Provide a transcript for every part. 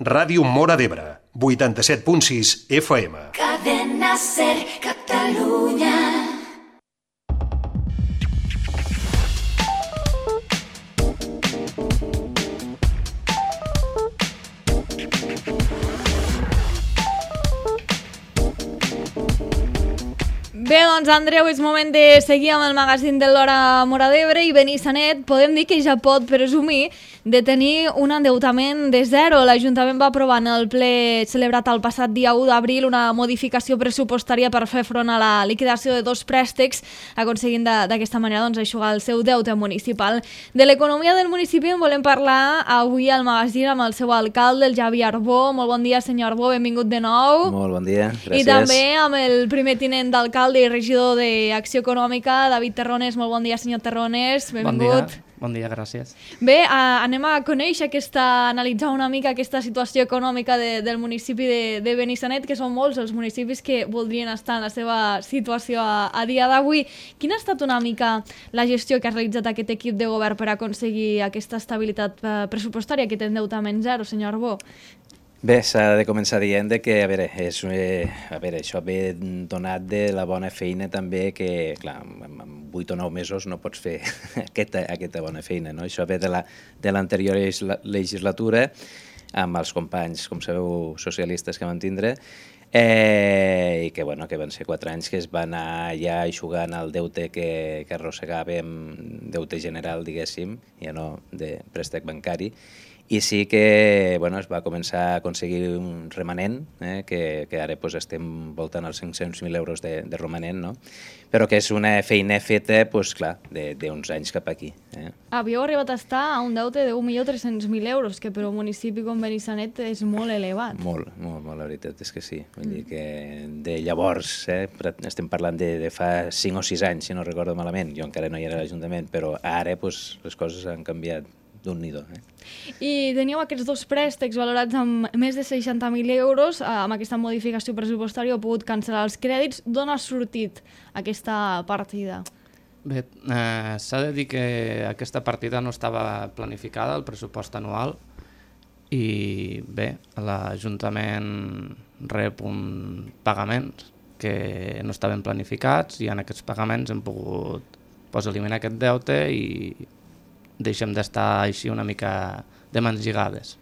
Ràdio Móra d'Ebre, 87.6 FM. Cadena Ser Catalunya. Bé, doncs, Andreu, és moment de seguir amb el magazín de l'Hora Móra d'Ebre i Benissanet podem dir que ja pot presumir de tenir un endeutament de zero. L'Ajuntament va aprovar en el ple celebrat el passat dia 1 d'abril una modificació pressupostària per fer front a la liquidació de 2 préstecs, aconseguint d'aquesta manera eixugar el seu deute municipal. De l'economia del municipi en volem parlar avui al magazín amb el seu alcalde, el Javi Arbó. Molt bon dia, senyor Arbó, benvingut de nou. Molt bon dia, gràcies. I també amb el primer tinent d'alcalde i regidor d'Acció Econòmica, David Terrones. Molt bon dia, senyor Terrones, benvingut. Bon dia, gràcies. Bé, anem a conèixer analitzar una mica aquesta situació econòmica del municipi de Benissanet, que són molts els municipis que voldrien estar en la seva situació a dia d'avui. Quina ha estat una mica la gestió que ha realitzat aquest equip de govern per aconseguir aquesta estabilitat pressupostària, aquest endeutament zero, senyor Arbó? Bé, s'ha de començar dient que, això ve donat de la bona feina també que, clar, en 8 o 9 mesos no pots fer aquesta bona feina, no? Això ve de l'anterior legislatura amb els companys, com sabeu, socialistes que van tindre, i que van ser 4 anys que es va anar ja eixugant el deute que arrossegàvem, deute general, diguéssim, ja no de préstec bancari. I sí que es va començar a aconseguir un remanent, que ara estem voltant als 500.000 euros de romanent, no? Però que és una feina feta, clar, d'uns anys cap aquí. Havíeu arribat a estar a un deute de 1.300.000 euros, que per un municipi com Benissanet és molt elevat. Molt, la veritat és que sí. Vull dir que de llavors, estem parlant de fa 5 o 6 anys, si no recordo malament, jo encara no hi era a l'Ajuntament, però ara les coses han canviat d'un nido. I teníeu aquests 2 préstecs valorats amb més de 60.000 euros. Amb aquesta modificació pressupostària heu pogut cancel·lar els crèdits. D'on ha sortit aquesta partida? Bé, s'ha de dir que aquesta partida no estava planificada, el pressupost anual, i bé, l'Ajuntament rep uns pagaments que no estaven planificats i en aquests pagaments hem pogut eliminar aquest deute i deixem d'estar així una mica de mans lligades.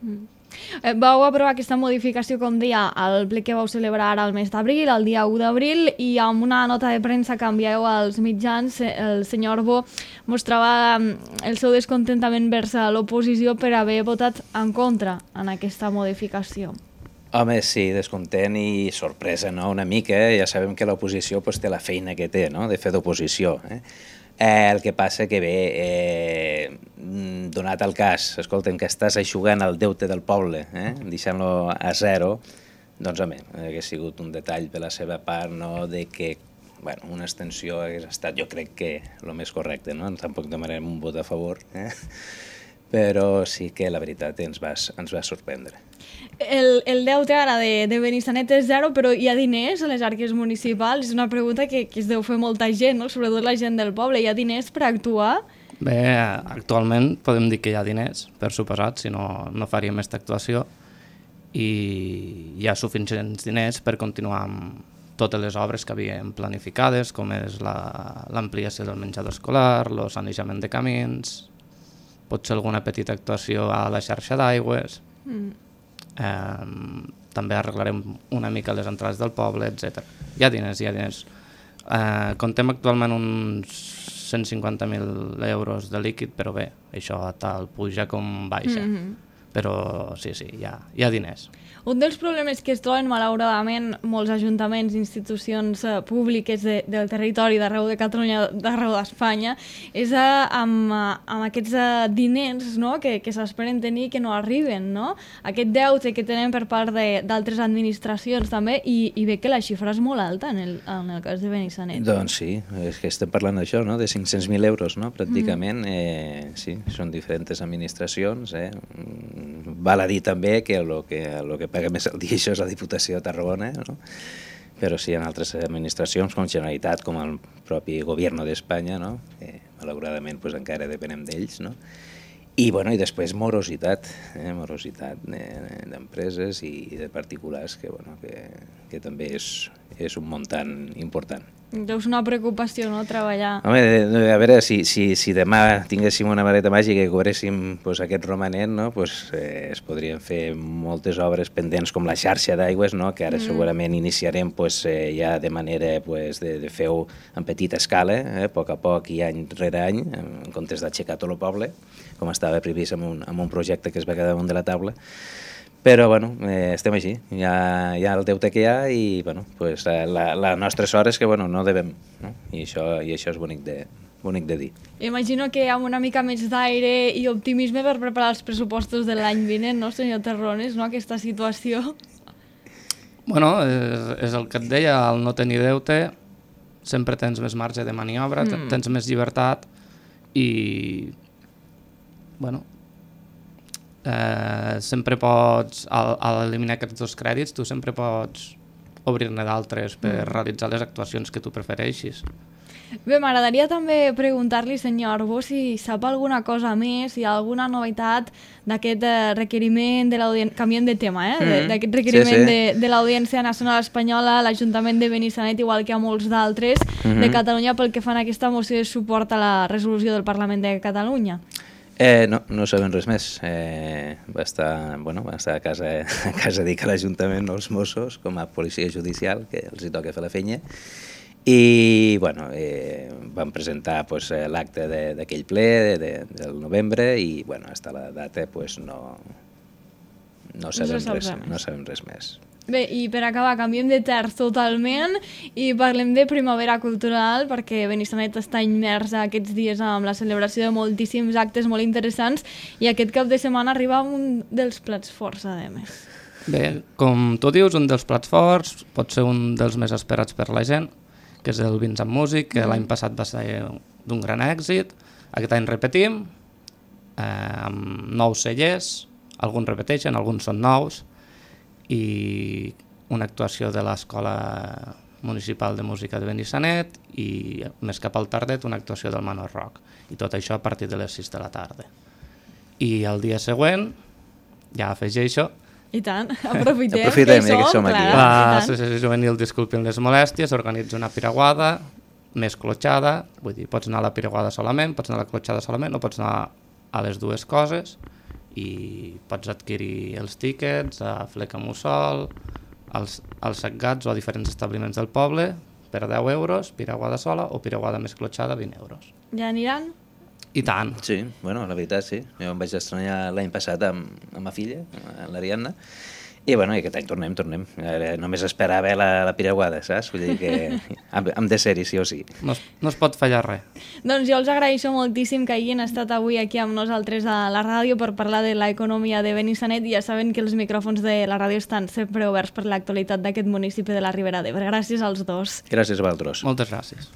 Vau aprovar aquesta modificació, com deia, al ple que vau celebrar ara el mes d'abril, el dia 1 d'abril, i amb una nota de premsa que envieu als mitjans, el senyor Arbó mostrava el seu descontentament vers l'oposició per haver votat en contra en aquesta modificació. Home, sí, descontent i sorpresa, no? Una mica, ja sabem que l'oposició té la feina que té, no?, de fer d'oposició. El que passa que bé, donat el cas, escolta'm, que estàs eixugant el deute del poble, deixant-lo a zero, doncs home, hauria sigut un detall de la seva part, no?, de que una extensió hagués estat, jo crec que el més correcte, no? Tampoc demanarem un vot a favor, però sí que la veritat ens va sorprendre. El deute ara de Benissanet és zero, però hi ha diners a les arques municipals? És una pregunta que es deu fer molta gent, no? Sobretot la gent del poble. Hi ha diners per actuar? Bé, actualment podem dir que hi ha diners, per suposat, si no faríem aquesta actuació, i hi ha suficients diners per continuar amb totes les obres que havíem planificades, com és l'ampliació del menjador escolar, el sanejament de camins, potser alguna petita actuació a la xarxa d'aigües. També arreglarem una mica les entrades del poble, etc. Hi ha diners. Contem actualment uns 150.000 euros de líquid, però bé, això tal puja com baixa. Però sí, hi ha diners. Un dels problemes que es troben, malauradament, molts ajuntaments i institucions públiques del territori d'arreu de Catalunya, d'arreu d'Espanya, és amb aquests diners, no?, que s'esperen tenir que no arriben, no? Aquest deute que tenen per part d'altres administracions també, i ve que la xifra és molt alta en el cas de Benissanet. Doncs sí, és que estem parlant d'això, no?, de 500.000 euros, no?, pràcticament. Sí, són diferents administracions. Val a dir també que el que paga més al dia això és la Diputació de Tarragona, no? Però sí, en altres administracions, com Generalitat, com el propi Govern d'Espanya, no?, que malauradament encara depenem d'ells, no? I després morositat d'empreses i de particulars, que, bueno, que també és un muntant important. Deus una preocupació, no?, treballar. Home, a veure, si demà tinguéssim una vareta màgica i cobréssim pues, aquest romanent, no? Pues, es podrien fer moltes obres pendents com la xarxa d'aigües, no? Que ara segurament iniciarem pues, ja de manera pues, de fer-ho en petita escala, a poc a poc i any rere any, en comptes d'aixecar tot el poble, com estava previst amb un projecte que es va quedar damunt de la taula. Però, bueno, estem així, hi ha el deute que hi ha i, bueno, pues, la nostra sort és que, bueno, no devem, no? I això és bonic de dir. Imagino que amb una mica més d'aire i optimisme per preparar els pressupostos de l'any vinent, no, senyor Terrones, no, aquesta situació? Bueno, és el que et deia, al no tenir deute sempre tens més marge de maniobra, tens més llibertat i, bueno, sempre pots, al eliminar aquests dos crèdits, tu sempre pots obrir-ne d'altres per realitzar les actuacions que tu prefereixis. Bé, m'agradaria també preguntar-li, senyor Arbó, si sap alguna cosa més, si hi ha alguna novetat d'aquest requeriment de l'Audiència, canviem de tema, d'aquest requeriment de l'Audiència Nacional Espanyola, l'Ajuntament de Benissanet, igual que a molts d'altres, de Catalunya, pel que fan aquesta moció de suport a la resolució del Parlament de Catalunya. No sabem res més. Va estar a casa dic a l'Ajuntament els Mossos com a policia judicial, que els hi toca fer la feina, i bueno, vam presentar pues, l'acte d'aquell ple del novembre i bueno, hasta la data pues, no sabem res més. Bé, i per acabar, canviem de terç totalment i parlem de primavera cultural, perquè Benissanet està immers aquests dies amb la celebració de moltíssims actes molt interessants i aquest cap de setmana arriba un dels plats forts, a més. Bé, com tu dius, un dels plats forts pot ser un dels més esperats per la gent, que és el Vins amb Músic, que l'any passat va ser d'un gran èxit. Aquest any repetim, amb nous cellers, alguns repeteixen, alguns són nous, i una actuació de l'Escola Municipal de Música de Benissanet i més cap al tardet una actuació del Manor Rock. I tot això a partir de les 6 de la tarda. I el dia següent, ja afegeixo... I tant, aprofitem ja que som aquí. L'Associació Juvenil Disculpin les Molèsties organitza una piraguada més clotxada, vull dir, pots anar a la piraguada solament, pots anar a la clotxada solament o pots anar a les dues coses, i pots adquirir els tíquets a Fleca Mussol, als Setgats o a diferents establiments del poble per 10 euros, piraguada sola o piraguada més clotxada, 20 euros. Ja aniran? I tant. Sí, bueno, la veritat sí. Jo em vaig estrenar l'any passat amb ma filla, l'Ariadna, i bueno, aquest any tornem. Només esperava la piraguada, saps? Vull dir que hem de ser-hi, sí o sí. No es pot fallar res. Doncs jo els agraeixo moltíssim que hagin estat avui aquí amb nosaltres a la ràdio per parlar de l'economia de Benissanet i ja saben que els micròfons de la ràdio estan sempre oberts per l'actualitat d'aquest municipi de la Ribera d'Ebre. Gràcies als dos. Gràcies a vosaltres. Moltes gràcies.